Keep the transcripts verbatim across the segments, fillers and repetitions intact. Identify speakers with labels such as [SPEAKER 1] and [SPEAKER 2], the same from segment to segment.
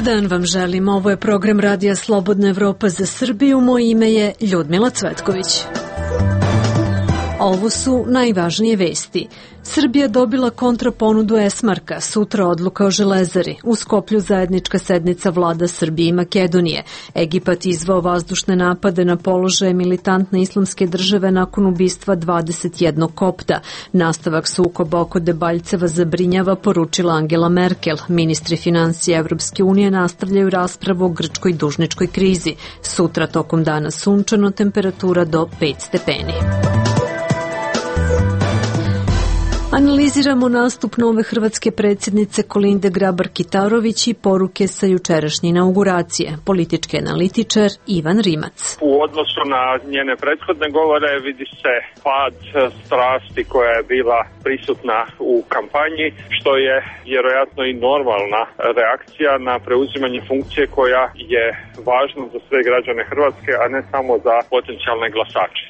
[SPEAKER 1] dan vam želim. Ovo je program Radija Slobodna Evropa za Srbiju. Moje ime je Ljudmila Cvetković. Ovo su najvažnije vesti. Srbija dobila kontraponudu Esmarka, sutra odluka o Železari, u Skoplju zajednička sednica vlada Srbije i Makedonije. Egipat izvao vazdušne napade na položaje militantne islamske države nakon ubistva dvadeset jednog kopta. Nastavak sukoba oko Debaljceva zabrinjava, poručila Angela Merkel. Ministri financija Evropske unije nastavljaju raspravu o grčkoj dužničkoj krizi. Sutra tokom dana sunčano, temperatura do pet stepeni. Analiziramo nastup nove hrvatske predsjednice Kolinde Grabar-Kitarović i poruke sa jučerašnje inauguracije. Politički analitičar Ivan Rimac.
[SPEAKER 2] U odnosu na njene prethodne govore vidi se pad strasti koja je bila prisutna u kampanji, što je vjerojatno i normalna reakcija na preuzimanje funkcije koja je važna za sve građane Hrvatske, a ne samo za potencijalne glasače.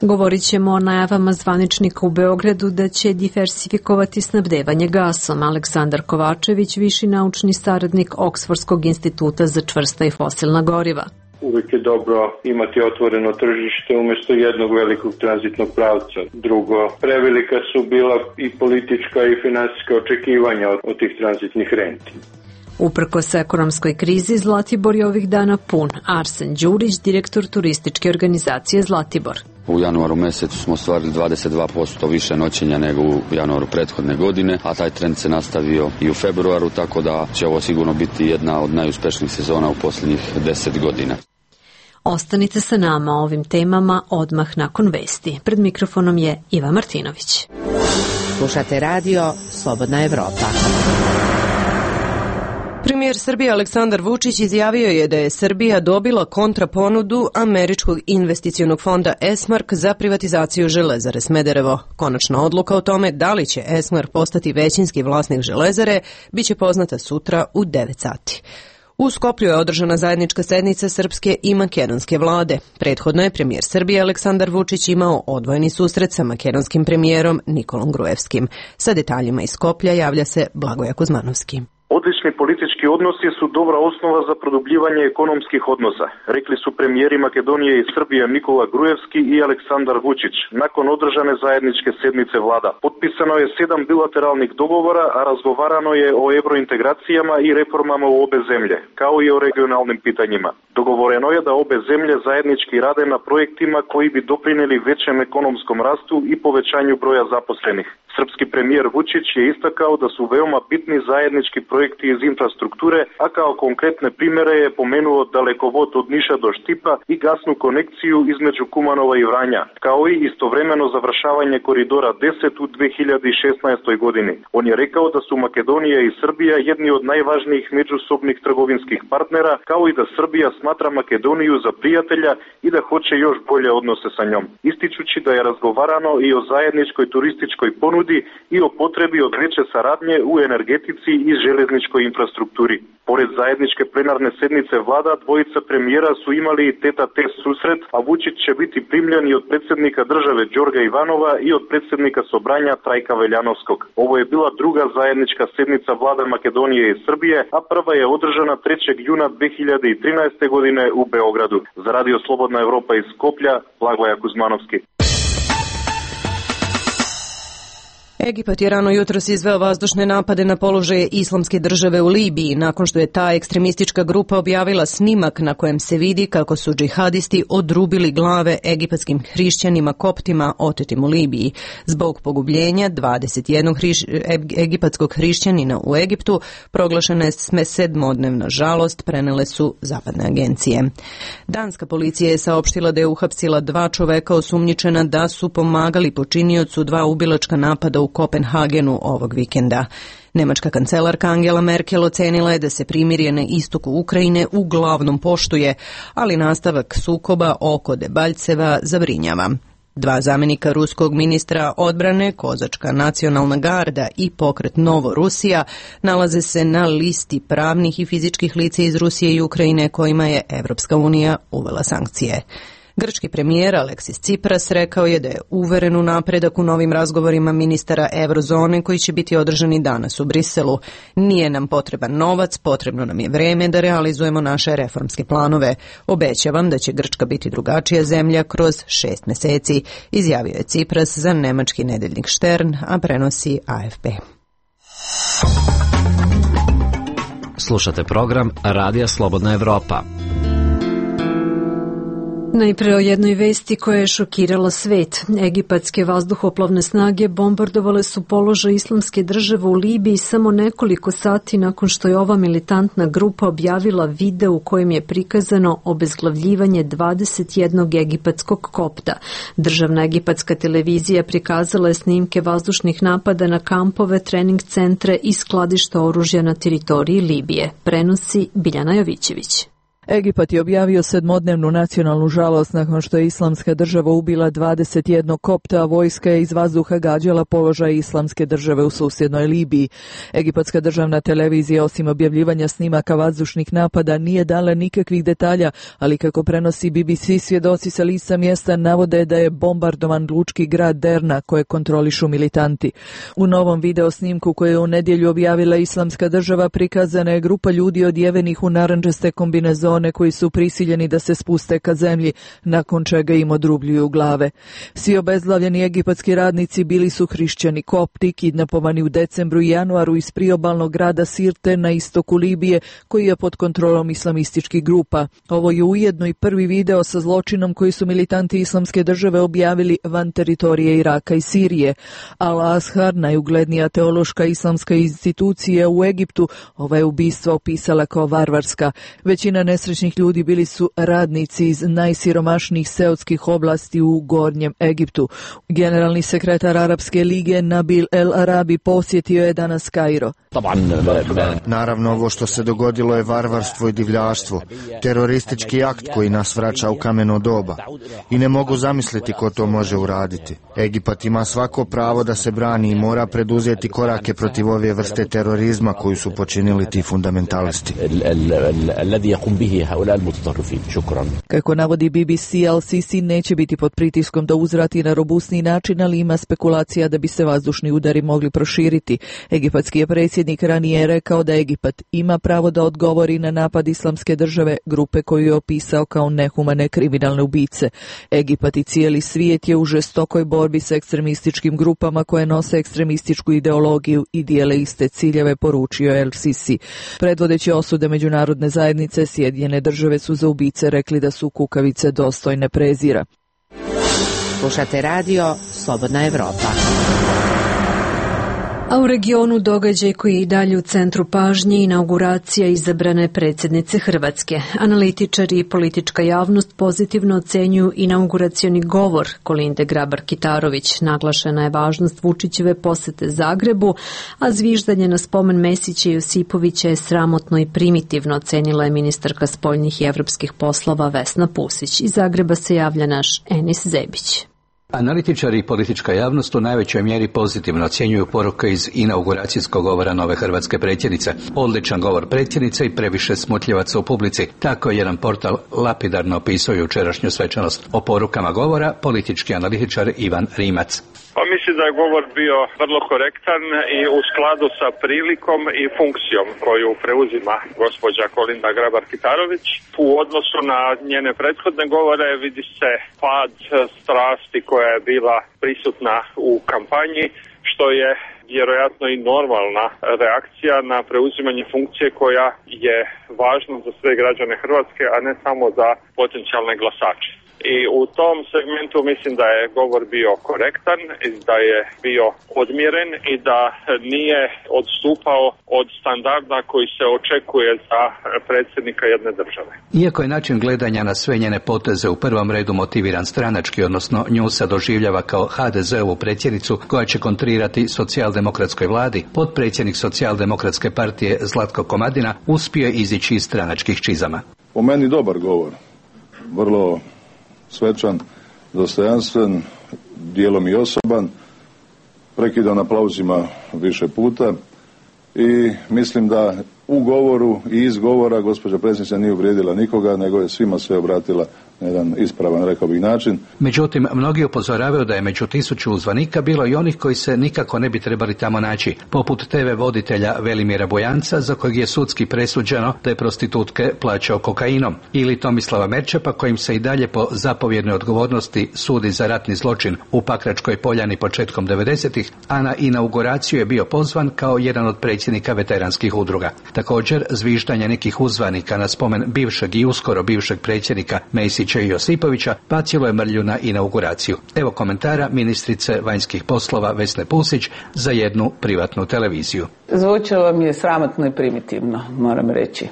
[SPEAKER 1] Govorit ćemo o najavama zvaničnika u Beogradu da će diversifikovati snabdevanje gasom. Aleksandar Kovačević, viši naučni saradnik Oksfordskog instituta za čvrsta i fosilna goriva.
[SPEAKER 3] Uvijek je dobro imati otvoreno tržište umjesto jednog velikog tranzitnog pravca. Drugo, prevelika su bila i politička i finansijska očekivanja od, od tih tranzitnih renti.
[SPEAKER 1] Uprkos ekonomskoj krizi, Zlatibor je ovih dana pun. Arsen Đurić, direktor turističke organizacije Zlatibor.
[SPEAKER 4] U januaru mjesecu smo ostvarili dvadeset dva posto više noćenja nego u januaru prethodne godine, a taj trend se nastavio i u februaru, tako da će ovo sigurno biti jedna od najuspješnijih sezona u posljednjih deset godina.
[SPEAKER 1] Ostanite sa nama o ovim temama odmah nakon vesti. Pred mikrofonom je Iva Martinović.
[SPEAKER 5] Slušate radio Slobodna Evropa.
[SPEAKER 6] Premijer Srbije Aleksandar Vučić izjavio je da je Srbija dobila kontraponudu američkog investicionog fonda Esmark za privatizaciju Železare Smederevo. Konačna odluka o tome da li će Esmark postati većinski vlasnik Železare biće poznata sutra u devet sati. U Skoplju je održana zajednička sednica srpske i makedonske vlade. Prethodno je premijer Srbije Aleksandar Vučić imao odvojeni susret sa makedonskim premijerom Nikolom Gruevskim. Sa detaljima iz Skoplja javlja se Blagoje Kuzmanovski.
[SPEAKER 7] Odlični politički odnosi su dobra osnova za produbljivanje ekonomskih odnosa, rekli su premijeri Makedonije i Srbije Nikola Gruevski i Aleksandar Vučić nakon održane zajedničke sednice vlada. Potpisano je sedam bilateralnih dogovora, a razgovarano je o evrointegracijama i reformama u obe zemlje, kao i o regionalnim pitanjima. Dogovoreno je da obe zemlje zajednički rade na projektima koji bi doprinijeli većem ekonomskom rastu i povećanju broja zaposlenih. Srpski premijer Vučić je istakao da su veoma bitni zajednički projekti iz infrastrukture, a kao konkretne primjere je pomenuo dalekovod od Niša do Štipa i gasnu konekciju između Kumanova i Vranja, kao i istovremeno završavanje koridora deset u dve hiljade šesnaestoj godini. On je rekao da su Makedonija i Srbija jedni od najvažnijih međusobnih trgovinskih partnera, kao i da Srbija smatra Makedoniju za prijatelja i da hoće još bolje odnose sa njom. Ističući da je razgovarano i o zajedničkoj turističkoj ponudi i o potrebi od veće saradnje u energetici i železničkoj infrastrukturi. Pored zajedničke plenarne sednice vlada, dvojica premijera su imali i tete-a-tete susret, a Vučić će biti primljen i od predsjednika države Đorga Ivanova i od predsjednika Sobranja Trajka Veljanovskog. Ovo je bila druga zajednička sednica vlada Makedonije i Srbije, a prva je održana trećeg juna dve hiljade trinaeste. godine u Beogradu. Za Radio Slobodna Evropa iz Skoplja, Blagoje Kuzmanovski.
[SPEAKER 6] Egipat je rano jutros izveo vazdušne napade na položaje islamske države u Libiji, nakon što je ta ekstremistička grupa objavila snimak na kojem se vidi kako su džihadisti odrubili glave egipatskim hrišćanima koptima otetim u Libiji. Zbog pogubljenja dvadeset jednog hriš, egipatskog hrišćanina u Egiptu proglašena je sedmodnevna žalost, prenele su zapadne agencije. Danska policija je saopštila da je uhapsila dva čoveka osumnjičena da su pomagali počiniocu dva ubilačka napada u Kopenhagenu ovog vikenda. Nemačka kancelarka Angela Merkel ocenila je da se primirje na istoku Ukrajine uglavnom poštuje, ali nastavak sukoba oko Debaljceva zabrinjava. Dva zamjenika ruskog ministra odbrane, Kozačka nacionalna garda i pokret Novo Rusija nalaze se na listi pravnih i fizičkih lica iz Rusije i Ukrajine kojima je Evropska unija uvela sankcije. Grčki premijer Aleksis Tsipras rekao je da je uveren u napredak u novim razgovorima ministara Eurozone koji će biti održani danas u Briselu. Nije nam potreban novac, potrebno nam je vreme da realizujemo naše reformske planove. Obećavam da će Grčka biti drugačija zemlja kroz šest meseci, izjavio je Tsipras za nemački nedeljnik Stern, a prenosi A F P.
[SPEAKER 8] Slušate program Radija Slobodna Evropa.
[SPEAKER 1] Najpre o jednoj vesti koja je šokirala svet. Egipatske vazduhoplovne snage bombardovale su položaj Islamske države u Libiji samo nekoliko sati nakon što je ova militantna grupa objavila video u kojem je prikazano obezglavljivanje dvadeset jednog egipatskog kopta. Državna egipatska televizija prikazala je snimke vazdušnih napada na kampove, trening centre i skladišta oružja na teritoriji Libije. Prenosi Biljana Jovićević.
[SPEAKER 9] Egipat je objavio sedmodnevnu nacionalnu žalost nakon što je Islamska država ubila dvadeset jednog kopta, a vojska je iz vazduha gađala položaj Islamske države u susjednoj Libiji. Egipatska državna televizija, osim objavljivanja snimaka vazdušnih napada, nije dala nikakvih detalja, ali kako prenosi B B C, svjedoci sa lica mjesta navode da je bombardovan lučki grad Derna koje kontrolišu militanti. U novom video snimku koje je u nedjelju objavila Islamska država prikazana je grupa ljudi odjevenih u narandžaste kombinezone koji su prisiljeni da se spuste ka zemlji, nakon čega im odrubljuju glave. Svi obezglavljeni egipatski radnici bili su hrišćani kopti, kidnapovani u decembru i januaru iz priobalnog grada Sirte na istoku Libije, koji je pod kontrolom islamističkih grupa. Ovo je ujedno i prvi video sa zločinom koji su militanti Islamske države objavili van teritorije Iraka i Sirije. Al-Azhar, najuglednija teološka islamska institucija u Egiptu, ova je ubistva opisala kao varvarska. Većina nesrećnih ljudi bili su radnici iz najsiromašnijih seotskih oblasti u Gornjem Egiptu. Generalni sekretar Arapske lige Nabil El Arabi posjetio je danas Kairo.
[SPEAKER 10] Naravno, ovo što se dogodilo je varvarstvo i divljaštvo, teroristički akt koji nas vraća u kameno doba. I ne mogu zamisliti ko to može uraditi. Egipat ima svako pravo da se brani i mora preduzeti korake protiv ove vrste terorizma koju su počinili ti fundamentalisti.
[SPEAKER 9] Kako navodi B B C, Al-Sisi neće biti pod pritiskom da uzvrati na robustni način, ali ima spekulacija da bi se vazdušni udari mogli proširiti. Egipatski je predsjednik ranije rekao da Egipat ima pravo da odgovori na napad Islamske države, grupe koju je opisao kao nehumane kriminalne ubice. Egipat i cijeli svijet je u žestokoj borbi s ekstremističkim grupama koje nose ekstremističku ideologiju i dijele iste ciljeve, poručio je Al-Sisi. Predvodeći osude međunarodne zajednice, Sjedinjene države su za ubice rekli da su kukavice dostojne prezira.
[SPEAKER 5] Slušate radio Slobodna Evropa.
[SPEAKER 1] A u regionu događaj koji je i dalje u centru pažnje, inauguracija izabrane predsjednice Hrvatske. Analitičari i politička javnost pozitivno ocenjuju inauguracioni govor Kolinde Grabar-Kitarović. Naglašena je važnost Vučićeve posete Zagrebu, a zviždanje na spomen Mesića i Josipovića je sramotno i primitivno, ocenila je ministarka spoljnih i evropskih poslova Vesna Pusić. Iz Zagreba se javlja naš Enis Zebić.
[SPEAKER 11] Analitičari i politička javnost u najvećoj mjeri pozitivno ocjenjuju poruke iz inauguracijskog govora nove hrvatske predsjednice. Odličan govor predsjednice i previše smutljivaca u publici. Tako je jedan portal lapidarno opisao jučerašnju svečanost. O porukama govora politički analitičar Ivan Rimac.
[SPEAKER 2] Pa mislim da je govor bio vrlo korektan i u skladu sa prilikom i funkcijom koju preuzima gospođa Kolinda Grabar-Kitarović. U odnosu na njene prethodne govore vidi se pad strasti koja je bila prisutna u kampanji, što je vjerojatno i normalna reakcija na preuzimanje funkcije koja je važna za sve građane Hrvatske, a ne samo za potencijalne glasače. I u tom segmentu mislim da je govor bio korektan, da je bio odmjeren i da nije odstupao od standarda koji se očekuje za predsjednika jedne države.
[SPEAKER 11] Iako je način gledanja na sve njene poteze u prvom redu motiviran stranački, odnosno nju se doživljava kao ha de zeovu predsjednicu koja će kontrirati socijaldemokratskoj vladi, potpredsjednik socijaldemokratske partije Zlatko Komadina uspio je izići iz stranačkih čizama.
[SPEAKER 12] Po meni dobar govor, vrlo svečan, dostojanstven, dijelom i osoban, prekidan aplauzima više puta i mislim da u govoru i iz govora gospođa predsjednica nije uvrijedila nikoga, nego je svima sve obratila na jedan ispravan, rekao bih, način.
[SPEAKER 11] Međutim, mnogi upozoravaju da je među tisuću uzvanika bilo i onih koji se nikako ne bi trebali tamo naći, poput te ve voditelja Velimira Bojanca, za kojeg je sudski presuđeno da je prostitutke plaćao kokainom, ili Tomislava Merčepa, kojim se i dalje po zapovjednoj odgovornosti sudi za ratni zločin u Pakračkoj Poljani početkom devedesetih, a na inauguraciju je bio pozvan kao jedan od predsjednika veteranskih udruga. Također, zviždanje nekih uzvanika na spomen bivšeg i uskoro bivšeg predsjednika Mesića i Josipovića bacilo je mrlju na inauguraciju. Evo komentara ministrice vanjskih poslova Vesne Pusić za jednu privatnu televiziju.
[SPEAKER 13] Zvučalo mi je sramotno i primitivno, moram reći.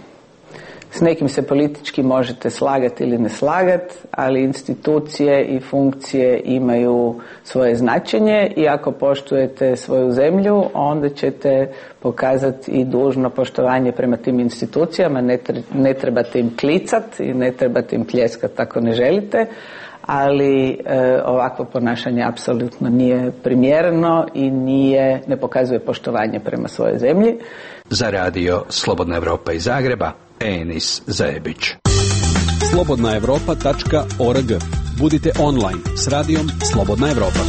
[SPEAKER 13] S nekim se politički možete slagati ili ne slagati, ali institucije i funkcije imaju svoje značenje i ako poštujete svoju zemlju, onda ćete pokazati i dužno poštovanje prema tim institucijama. Ne, ne trebate im klicati i ne trebate im pljeskati ako ne želite, ali e, ovakvo ponašanje apsolutno nije primjereno i nije, ne pokazuje poštovanje prema svojoj zemlji.
[SPEAKER 11] Za radio Slobodna Evropa iz Zagreba, Enis Zajebić.
[SPEAKER 14] slobodna evropa tačka org. Budite online s radijom Slobodna Evropa.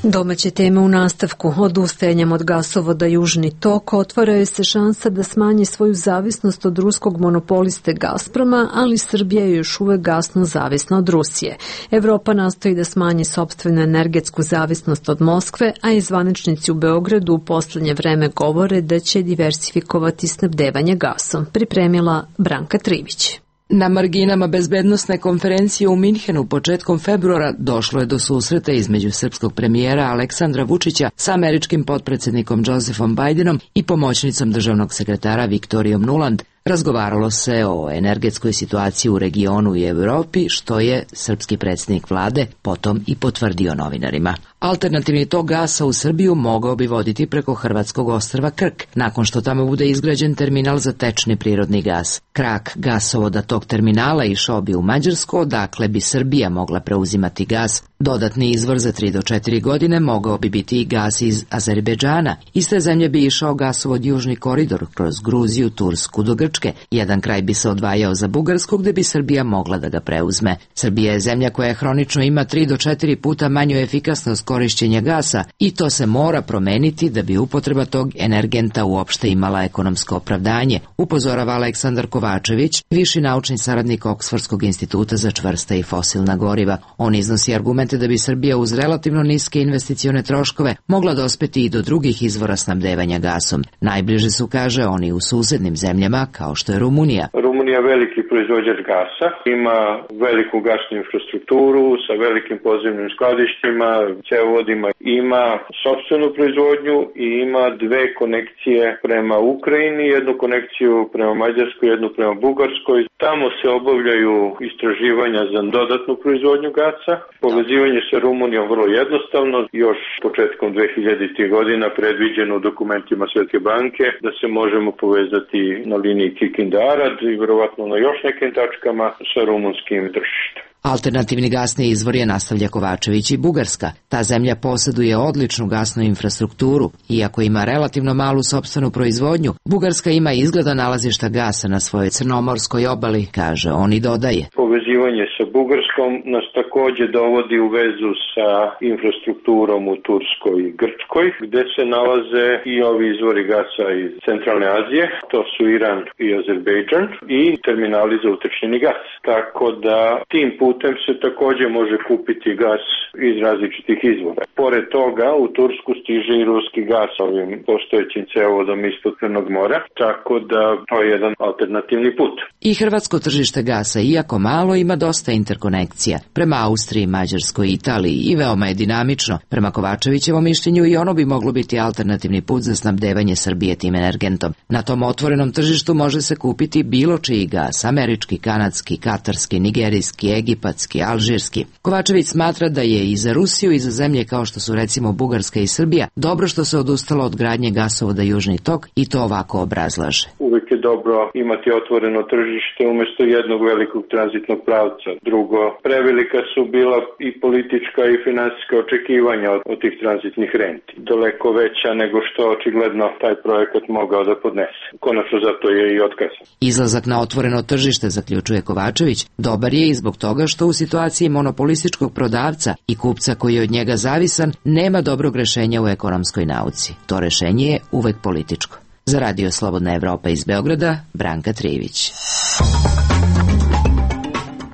[SPEAKER 1] Domaće teme u nastavku. Odustajanjem od gasovoda Južni tok otvaraju se šansa da smanji svoju zavisnost od ruskog monopoliste Gazproma, ali Srbija je još uvek gasno zavisna od Rusije. Evropa nastoji da smanji sopstvenu energetsku zavisnost od Moskve, a i zvaničnici u Beogradu u poslednje vreme govore da će diversifikovati snabdevanje gasom. Pripremila Branka Trivić.
[SPEAKER 15] Na marginama bezbednosne konferencije u Minhenu početkom februara došlo je do susreta između srpskog premijera Aleksandra Vučića sa američkim potpredsjednikom Josephom Bidenom i pomoćnicom državnog sekretara Viktorijom Nuland. Razgovaralo se o energetskoj situaciji u regionu i Evropi, što je srpski predsjednik vlade potom i potvrdio novinarima. Alternativni tok gasa u Srbiju mogao bi voditi preko hrvatskog ostrva Krk, nakon što tamo bude izgrađen terminal za tečni prirodni gas. Krak gasovoda tog terminala išao bi u Mađarsku, odakle bi Srbija mogla preuzimati gas. Dodatni izvor za tri do četiri godine mogao bi biti i gas iz Azerbejdžana. Iz te zemlje bi išao gasovod Južni koridor kroz Gruziju, Tursku do Grčke. Jedan kraj bi se odvajao za Bugarsku, gde bi Srbija mogla da ga preuzme. Srbija je zemlja koja hronično ima tri do četiri puta manju efikasnost korišćenja gasa i to se mora promeniti da bi upotreba tog energenta uopšte imala ekonomsko opravdanje, upozorava Aleksandar Kovačević, viši naučni saradnik Oksfordskog instituta za čvrsta i fosilna goriva. On iznosi argumente da bi Srbija uz relativno niske investicione troškove mogla dospeti i do drugih izvora snabdevanja gasom. Najbliže su, kaže, oni u susednim zemljama kao što je Rumunija.
[SPEAKER 3] Rumunija je veliki proizvođač gasa, ima veliku gasnu infrastrukturu sa velikim podzemnim skladištima, cevovodima, ima sopstvenu proizvodnju i ima dve konekcije prema Ukrajini, jednu konekciju prema Mađarskoj, jednu prema Bugarskoj. Tamo se obavljaju istraživanja za dodatnu proizvodnju gasa. Povezivanje sa Rumunijom vrlo jednostavno, još početkom dve hiljaditih godina predviđeno u dokumentima Svetske banke da se možemo povezati na liniji Kikinda-Arad i verovatno na još nekim tačkama sa rumunskim tržištem.
[SPEAKER 15] Alternativni gasni izvor je, nastavlja Kovačević, i Bugarska. Ta zemlja posjeduje odličnu gasnu infrastrukturu. Iako ima relativno malu sopstvenu proizvodnju, Bugarska ima izgleda nalazišta gasa na svojoj crnomorskoj obali, kaže on i dodaje.
[SPEAKER 3] Povezivanje sa Bugarskom nas također dovodi u vezu sa infrastrukturom u Turskoj i Grčkoj, gde se nalaze i ovi izvori gasa iz Centralne Azije, to su Iran i Azerbejdžan, i terminali za utrčeni gas. Tako da tim putem se također može kupiti gas iz različitih izvora. Pored toga u Tursku stiže i ruski gas ovim postojećim cevovodom ispod Crnog mora, tako da to je jedan alternativni put.
[SPEAKER 15] I hrvatsko tržište gasa, iako malo, ima dosta interkonekcija prema Austriji, Mađarskoj i Italiji i veoma je dinamično. Prema Kovačevićevom mišljenju i ono bi moglo biti alternativni put za snabdevanje Srbije tim energentom. Na tom otvorenom tržištu može se kupiti bilo čiji gas, američki, kanadski, katarski, nigerijski, egipatski, egipatski, alžirski. Kovačević smatra da je i za Rusiju i za zemlje kao što su recimo Bugarska i Srbija dobro što se odustalo od gradnje gasovoda Južni tok i to ovako obrazlaže.
[SPEAKER 3] Uvijek je dobro imati otvoreno tržište umjesto jednog velikog tranzitnog pravca. Drugo, prevelika su bila i politička i financijska očekivanja od, od tih tranzitnih renti. Daleko veća nego što očigledno taj projekat mogao da podnese. Konačno zato je i otkazan.
[SPEAKER 15] Izlazak na otvoreno tržište, zaključuje Kovačević, dobar je i zbog toga što u situaciji monopolističkog prodavca i kupca koji je od njega zavisan nema dobrog rešenja u ekonomskoj nauci. To rešenje je uvek političko. Za Radio Slobodna Evropa iz Beograda, Branka Trijević.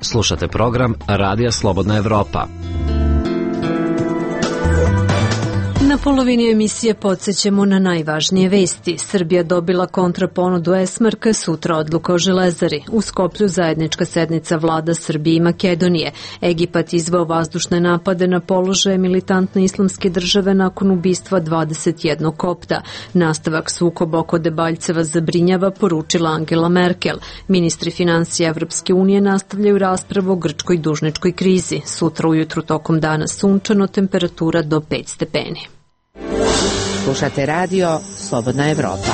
[SPEAKER 8] Slušate program Radija Slobodna Evropa.
[SPEAKER 1] Na polovini emisije podsjećamo na najvažnije vesti. Srbija dobila kontraponudu Esmarka, sutra odluka o Železari. U Skoplju zajednička sednica vlada Srbije i Makedonije. Egipat izveo vazdušne napade na položaje militantne islamske države nakon ubistva dvadeset jednog kopta. Nastavak sukoba oko Debaljceva zabrinjava, poručila Angela Merkel. Ministri financija Evropske unije nastavljaju raspravu o grčkoj dužničkoj krizi. Sutra ujutru tokom dana sunčano, temperatura do pet stepeni.
[SPEAKER 5] Slušate radio Slobodna Evropa.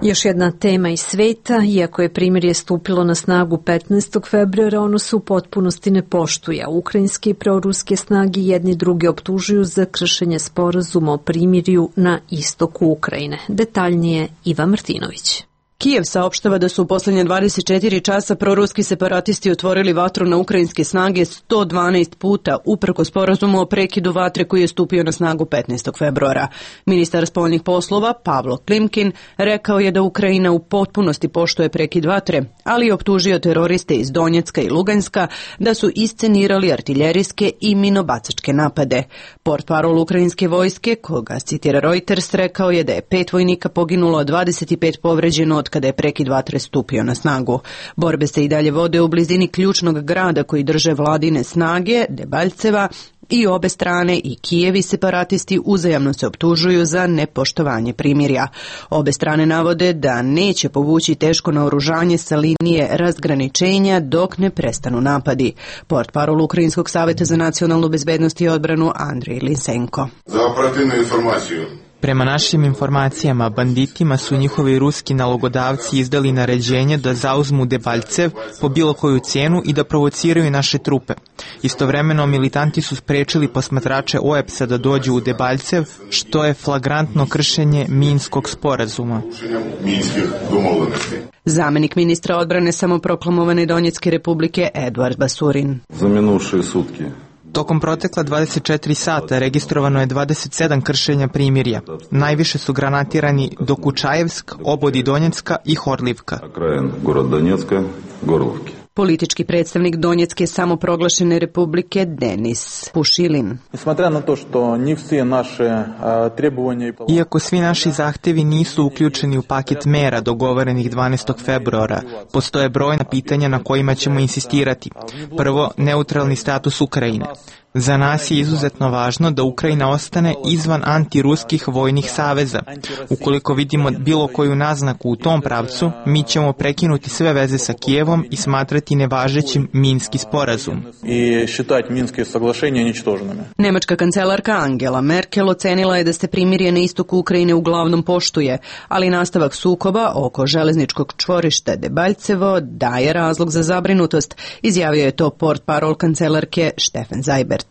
[SPEAKER 1] Još jedna tema iz sveta, iako je primirje stupilo na snagu petnaestog februara, ono se u potpunosti ne poštuje. Ukrajinske i proruske snage jedni druge optužuju za kršenje sporazuma o primirju na istoku Ukrajine. Detaljnije Iva Martinović.
[SPEAKER 6] Kijev saopštava da su u posljednje dvadeset četiri časa proruski separatisti otvorili vatru na ukrajinske snage sto dvanaest puta, uprko sporazumu o prekidu vatre koji je stupio na snagu petnaestog februara. Ministar spoljnih poslova Pavlo Klimkin rekao je da Ukrajina u potpunosti poštuje prekid vatre, ali je optužio teroriste iz Donjecka i Luganska da su iscenirali artiljerijske i minobacačke napade. Portparol ukrajinske vojske, koga citira Reuters, rekao je da je pet vojnika poginulo, a dvadeset pet povređeno od kada je prekid vatre stupio na snagu. Borbe se i dalje vode u blizini ključnog grada koji drže vladine snage, Debaljceva, i obe strane, i Kijev i separatisti, uzajamno se optužuju za nepoštovanje primirja. Obe strane navode da neće povući teško naoružanje sa linije razgraničenja dok ne prestanu napadi. Portparol Ukrajinskog saveta za nacionalnu bezbednost i odbranu Andrej Lisenko.
[SPEAKER 16] Za operativnu informaciju.
[SPEAKER 17] Prema našim informacijama, banditima su njihovi ruski nalogodavci izdali naređenje da zauzmu Debaljcev po bilo koju cijenu i da provociraju naše trupe. Istovremeno, militanti su sprečili posmatrače O E P S-a da dođu u Debaljcev, što je flagrantno kršenje Minskog sporazuma.
[SPEAKER 6] Zamenik ministra odbrane samoproklamovane Donjecke republike Eduard Basurin.
[SPEAKER 12] Za minuše sutke.
[SPEAKER 17] Tokom protekla dvadeset četiri sata registrovano je dvadeset sedam kršenja primirja. Najviše su granatirani Dokučajevsk, Obodi Donjecka i Horlivka.
[SPEAKER 12] Krajen Gorod Donjecka, Gorlovki.
[SPEAKER 6] Politički predstavnik Donjecke samoproglašene republike Denis Pušilin.
[SPEAKER 17] Iako svi naši zahtevi nisu uključeni u paket mera dogovorenih dvanaestog februara, postoje brojna pitanja na kojima ćemo insistirati. Prvo, neutralni status Ukrajine. Za nas je izuzetno važno da Ukrajina ostane izvan antiruskih vojnih saveza. Ukoliko vidimo bilo koju naznaku u tom pravcu, mi ćemo prekinuti sve veze sa Kijevom i smatrati nevažećim Minski sporazum.
[SPEAKER 6] Nemačka kancelarka Angela Merkel ocenila je da se primirje na istoku Ukrajine uglavnom poštuje, ali nastavak sukoba oko železničkog čvorišta Debaljcevo daje razlog za zabrinutost, izjavio je to portparol kancelarke Stefan Seibert.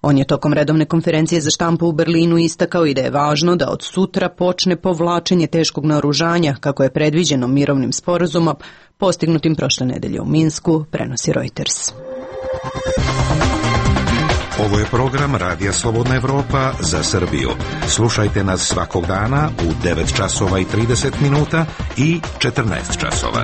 [SPEAKER 6] On je tokom redovne konferencije za štampu u Berlinu istakao i da je važno da od sutra počne povlačenje teškog naoružanja, kako je predviđeno mirovnim sporazumom postignutim prošle nedelje u Minsku, prenosi Reuters.
[SPEAKER 18] Ovo je program Radija Slobodna Evropa za Srbiju. Slušajte nas svakog dana u devet časova i trideset minuta i četrnaest časova.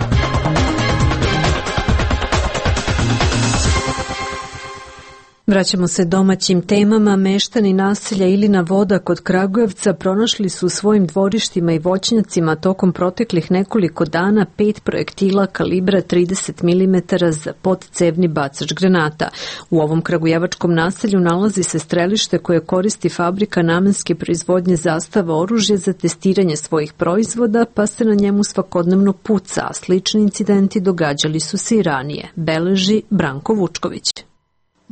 [SPEAKER 1] Vraćamo se domaćim temama. Meštani naselja Ilina Voda kod Kragujevca pronašli su u svojim dvorištima i voćnjacima tokom proteklih nekoliko dana pet projektila kalibra trideset milimetara za podcevni bacač granata. U ovom kragujevačkom naselju nalazi se strelište koje koristi fabrika namenske proizvodnje Zastava oružje za testiranje svojih proizvoda, pa se na njemu svakodnevno puca, a slični incidenti događali su se i ranije, beleži Branko Vučković.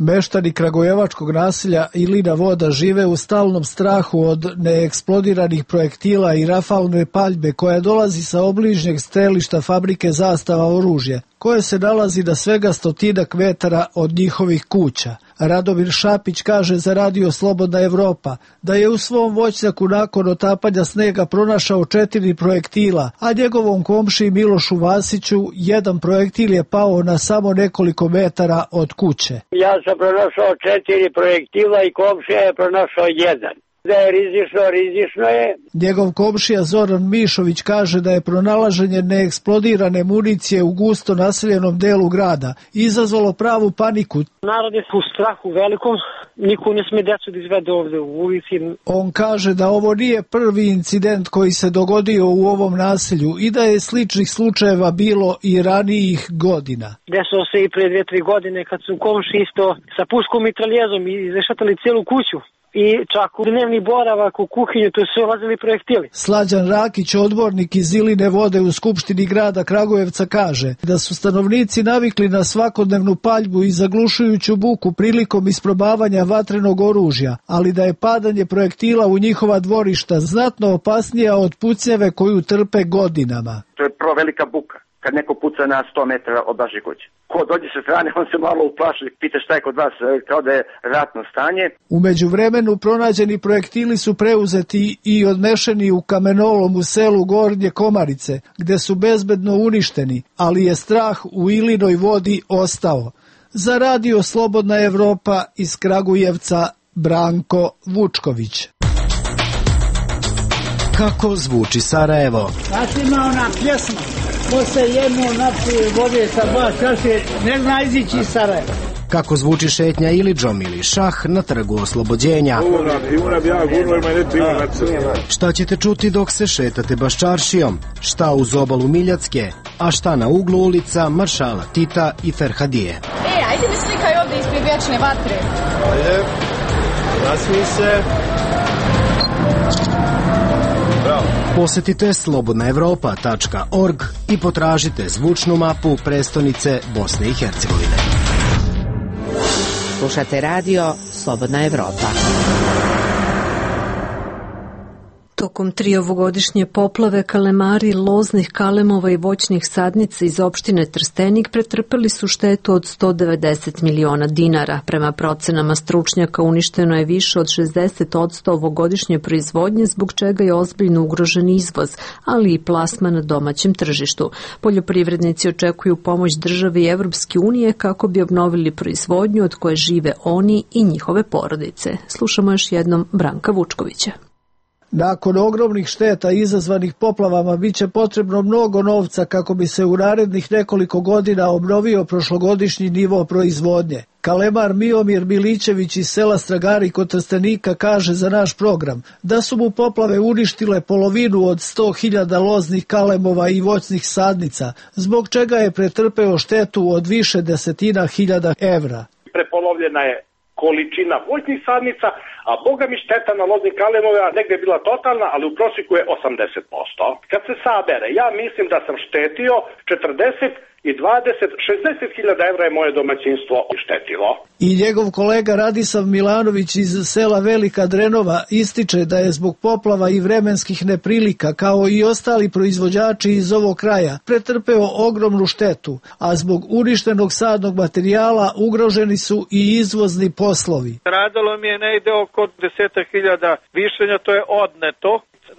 [SPEAKER 19] Meštani kragujevačkog naselja Ilina Voda žive u stalnom strahu od neeksplodiranih projektila i rafalne paljbe koja dolazi sa obližnjeg strelišta fabrike Zastava oružje, koje se nalazi na svega stotinak metara od njihovih kuća. Radomir Šapić kaže za Radio Slobodna Evropa da je u svom voćnjaku nakon otapanja snega pronašao četiri projektila, a njegovom komšiji Milošu Vasiću jedan projektil je pao na samo nekoliko metara od kuće.
[SPEAKER 20] Ja sam pronašao četiri projektila i komšija je pronašao jedan. Da je rizično, rizično je.
[SPEAKER 19] Njegov komšija Zoran Mišović kaže da je pronalaženje neeksplodirane municije u gusto naseljenom delu grada izazvalo pravu paniku.
[SPEAKER 21] Narod je u strahu velikom, niko ne sme decu da izvede ovde u ulici.
[SPEAKER 19] On kaže da ovo nije prvi incident koji se dogodio u ovom naselju i da je sličnih slučajeva bilo i ranijih godina.
[SPEAKER 21] Desilo se i pre dve, tri godine kad su komši isto sa puškom i traljezom izrešatali celu kuću. I čak u dnevni boravak u kuhinju, to su ulazili projektili.
[SPEAKER 19] Slađan Rakić, odbornik iz Iline Vode u Skupštini grada Kragujevca, kaže da su stanovnici navikli na svakodnevnu paljbu i zaglušujuću buku prilikom isprobavanja vatrenog oružja, ali da je padanje projektila u njihova dvorišta znatno opasnija od pucnjeve koju trpe godinama.
[SPEAKER 22] To je prvo velika buka. Kad neko puca na sto metara od vaše kuće. Ko dođe sa strane, on se malo uplaši, pita šta je kod vas, kao da je ratno stanje.
[SPEAKER 19] U međuvremenu pronađeni projektili su preuzeti i odnešeni u kamenolom u selu Gornje Komarice, gde su bezbedno uništeni, ali je strah u Ilinoj Vodi ostao. Za Radio Slobodna Evropa iz Kragujevca, Branko Vučković.
[SPEAKER 23] Kako zvuči Sarajevo?
[SPEAKER 24] Znači ima ona pjesma. Posle jednu napije vode sa dva čaše, ne zna izići iz Sarajeva.
[SPEAKER 23] Kako zvuči šetnja Ilidžom ili šah na trgu Oslobođenja. Šta ćete čuti dok se šetate Baščaršijom? Šta uz obalu Miljacke? A šta na uglu ulica Maršala Tita i Ferhadije?
[SPEAKER 25] E, ajde mi slikaj ovdje ispred vječne vatre.
[SPEAKER 23] Ajde, nasmij se. Posetite slobodna evropa tačka org i potražite zvučnu mapu prestonice Bosne i Hercegovine.
[SPEAKER 5] Slušate radio Slobodna Evropa.
[SPEAKER 1] Tokom tri ovogodišnje poplave kalemari loznih kalemova i voćnih sadnica iz opštine Trstenik pretrpeli su štetu od sto devedeset miliona dinara. Prema procenama stručnjaka uništeno je više od šezdeset posto ovogodišnje proizvodnje, zbog čega je ozbiljno ugrožen izvoz, ali i plasman na domaćem tržištu. Poljoprivrednici očekuju pomoć države i Evropske unije kako bi obnovili proizvodnju od koje žive oni i njihove porodice. Slušamo još jednom Branka Vučkovića.
[SPEAKER 19] Nakon ogromnih šteta izazvanih poplavama biće potrebno mnogo novca kako bi se u narednih nekoliko godina obnovio prošlogodišnji nivo proizvodnje. Kalemar Miomir Milićević iz sela Stragari kod Trstenika kaže za naš program da su mu poplave uništile polovinu od sto hiljada loznih kalemova i voćnih sadnica, zbog čega je pretrpeo štetu od više desetina hiljada evra.
[SPEAKER 26] Prepolovljena je količina voćnih sadnica, a boga mi šteta na loznih kalemova negdje je bila totalna, ali u prosjeku je osamdeset posto. Kad se sabere, ja mislim da sam štetio četrdeset i dvadeset, šezdeset hiljada evra je moje domaćinstvo štetilo.
[SPEAKER 19] I njegov kolega Radisav Milanović iz sela Velika Drenova ističe da je zbog poplava i vremenskih neprilika, kao i ostali proizvođači iz ovog kraja, pretrpeo ogromnu štetu, a zbog uništenog sadnog materijala ugroženi su i izvozni poslovi.
[SPEAKER 27] Stradalo mi je negde oko desetak hiljada višenja, to je odneto.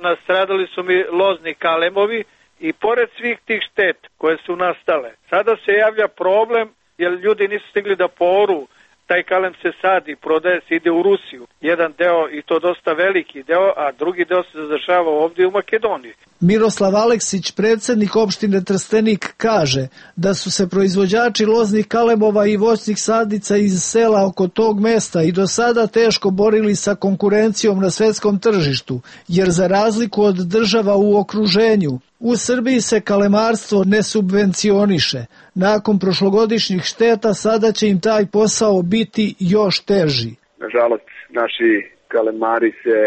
[SPEAKER 27] Nastradali su mi lozni kalemovi. I pored svih tih štet koje su nastale, sada se javlja problem jer ljudi nisu stigli da poru, taj kalem se sadi, prodaje se, ide u Rusiju. jedan deo i to dosta veliki deo, a drugi deo se zadržava ovdje u Makedoniji.
[SPEAKER 19] Miroslav Aleksić, predsjednik opštine Trstenik, kaže da su se proizvođači loznih kalemova i voćnih sadnica iz sela oko tog mesta i do sada teško borili sa konkurencijom na svetskom tržištu, jer za razliku od država u okruženju, u Srbiji se kalemarstvo ne subvencioniše. Nakon prošlogodišnjih šteta sada će im taj posao biti još teži.
[SPEAKER 2] Nažalost, naši kalemari se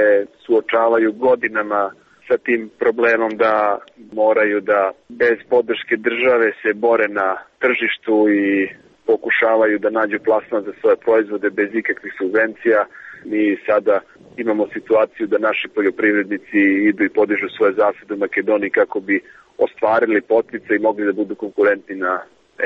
[SPEAKER 2] suočavaju godinama sa tim problemom da moraju da bez podrške države se bore na tržištu i pokušavaju da nađu plasman za svoje proizvode bez ikakvih subvencija. Mi sada imamo situaciju da naši poljoprivrednici idu i podižu svoje zasade u Makedoniji kako bi ostvarili potice i mogli da budu konkurentni na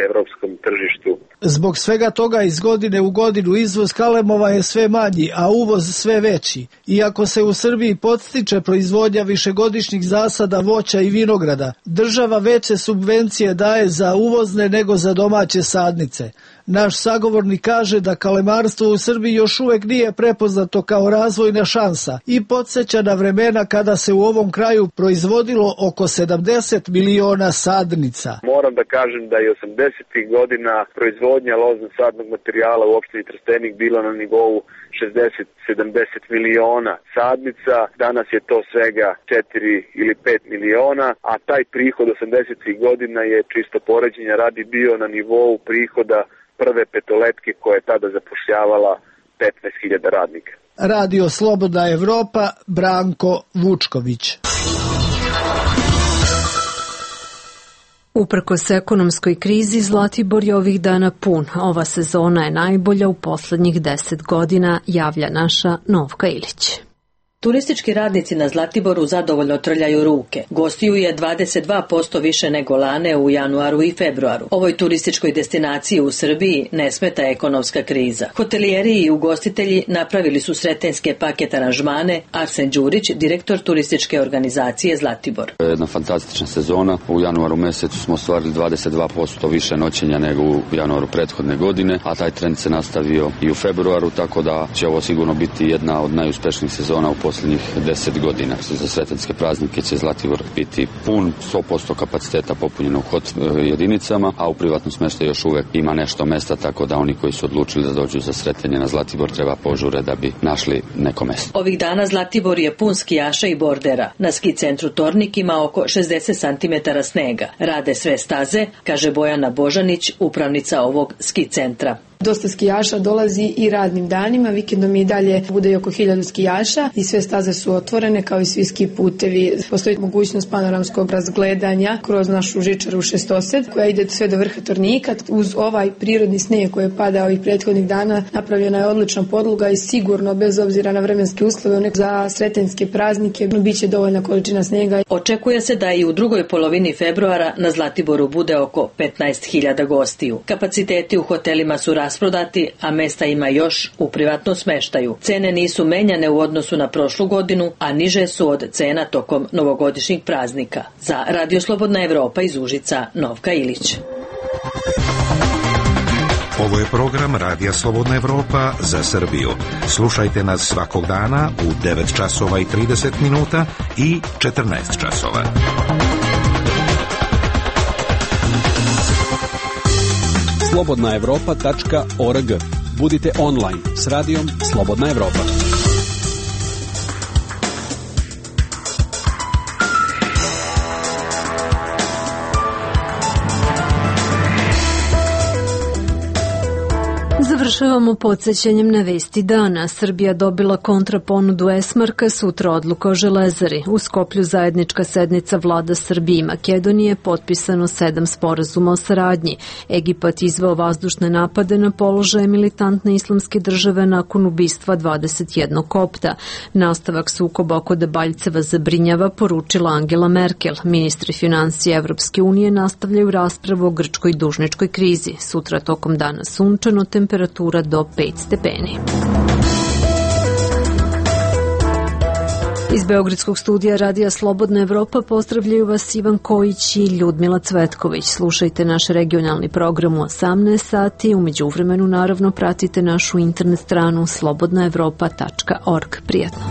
[SPEAKER 2] evropskom tržištu.
[SPEAKER 19] Zbog svega toga iz godine u godinu izvoz kalemova je sve manji, a uvoz sve veći. Iako se u Srbiji podstiče proizvodnja višegodišnjih zasada voća i vinograda, država veće subvencije daje za uvozne nego za domaće sadnice. Naš sagovornik kaže da kalemarstvo u Srbiji još uvek nije prepoznato kao razvojna šansa i podsjeća na vremena kada se u ovom kraju proizvodilo oko sedamdeset miliona sadnica.
[SPEAKER 2] Moram da kažem da je osamdesetih godina proizvodnja lozno-sadnog materijala u opštini Trstenik bila na nivou šezdeset do sedamdeset miliona sadnica. Danas je to svega četiri ili pet miliona, a taj prihod osamdesetih godina je čisto poređenja radi bio na nivou prihoda prve petoletke koja je tada zapošljavala petnaest hiljada radnika.
[SPEAKER 19] Radio Slobodna Evropa, Branko Vučković.
[SPEAKER 1] Uprkos ekonomskoj krizi, Zlatibor je ovih dana pun. Ova sezona je najbolja u poslednjih deset godina, javlja naša Novka Ilić.
[SPEAKER 4] Turistički radnici na Zlatiboru zadovoljno trljaju ruke. Gostiju je dvadeset dva posto više nego lane u januaru i februaru. Ovoj turističkoj destinaciji u Srbiji ne smeta ekonomska kriza. Hotelijeri i ugostitelji napravili su sretenjske paket aranžmane. Arsen Đurić, direktor turističke organizacije Zlatibor.
[SPEAKER 7] Jedna fantastična sezona. U januaru mesecu smo ostvarili dvadeset dva posto više noćenja nego u januaru prethodne godine, a taj trend se nastavio i u februaru, tako da će ovo sigurno biti jedna od najuspešnijih sezona u posljednjih deset godina. Za sretenske praznike će Zlatibor biti pun, sto posto kapaciteta popunjeno u hot jedinicama, a u privatnom smještaju još uvek ima nešto mesta, tako da oni koji su odlučili da dođu za sretenje na Zlatibor treba požure da bi našli neko mesto.
[SPEAKER 4] Ovih dana Zlatibor je pun skijaša i bordera. Na ski centru Tornik ima oko šezdeset santimetara snega. Rade sve staze, kaže Bojana Božanić, upravnica ovog ski centra.
[SPEAKER 9] Dosta skijaša dolazi i radnim danima, vikendom i dalje bude i oko hiljadu skijaša i sve staze su otvorene kao i svi ski putevi. Postoji mogućnost panoramskog razgledanja kroz našu žičaru šestosed koja ide sve do vrha Tornika. Uz ovaj prirodni snijeg koji je padao ovih prethodnih dana napravljena je odlična podloga i sigurno bez obzira na vremenske uslove za sretenjske praznike biće dovoljna količina snijega.
[SPEAKER 4] Očekuje se da i u drugoj polovini februara na Zlatiboru bude oko petnaest hiljada gostiju. Kapaciteti u hotelima su rasprodati, a mesta ima još u privatnom smeštaju. Cene nisu menjane u odnosu na prošlu godinu, a niže su od cena tokom novogodišnjih praznika. Za Radio Slobodna Evropa iz Užica, Novka Ilić.
[SPEAKER 18] Ovo je program Radija Slobodna Evropa za Srbiju. Slušajte nas svakog dana u devet časova i trideset minuta i četrnaest časova.
[SPEAKER 14] slobodna evropa tačka org. Budite online s radijom Slobodna Evropa.
[SPEAKER 1] Završavamo podsjećanjem na vesti dana. Srbija dobila kontraponudu Esmarka, sutra odluka o Železari. U Skoplju zajednička sednica vlada Srbije i Makedonije, potpisano sedam sporazuma o saradnji. Egipat izveo vazdušne napade na položaje militantne islamske države nakon ubistva dvadeset jednog kopta. Nastavak sukoba oko Debaljceva zabrinjava, poručila Angela Merkel. Ministri financija Evropske unije nastavljaju raspravu o grčkoj dužničkoj krizi. Sutra tokom dana sunčano, temperatura do pet stepeni. Iz Beogradskog studija Radija Slobodna Evropa pozdravljaju vas Ivan Kojić i Ljudmila Cvetković. Slušajte naš regionalni program u osamnaest sati. U međuvremenu naravno pratite našu internet stranu slobodna evropa tačka org. Prijetno.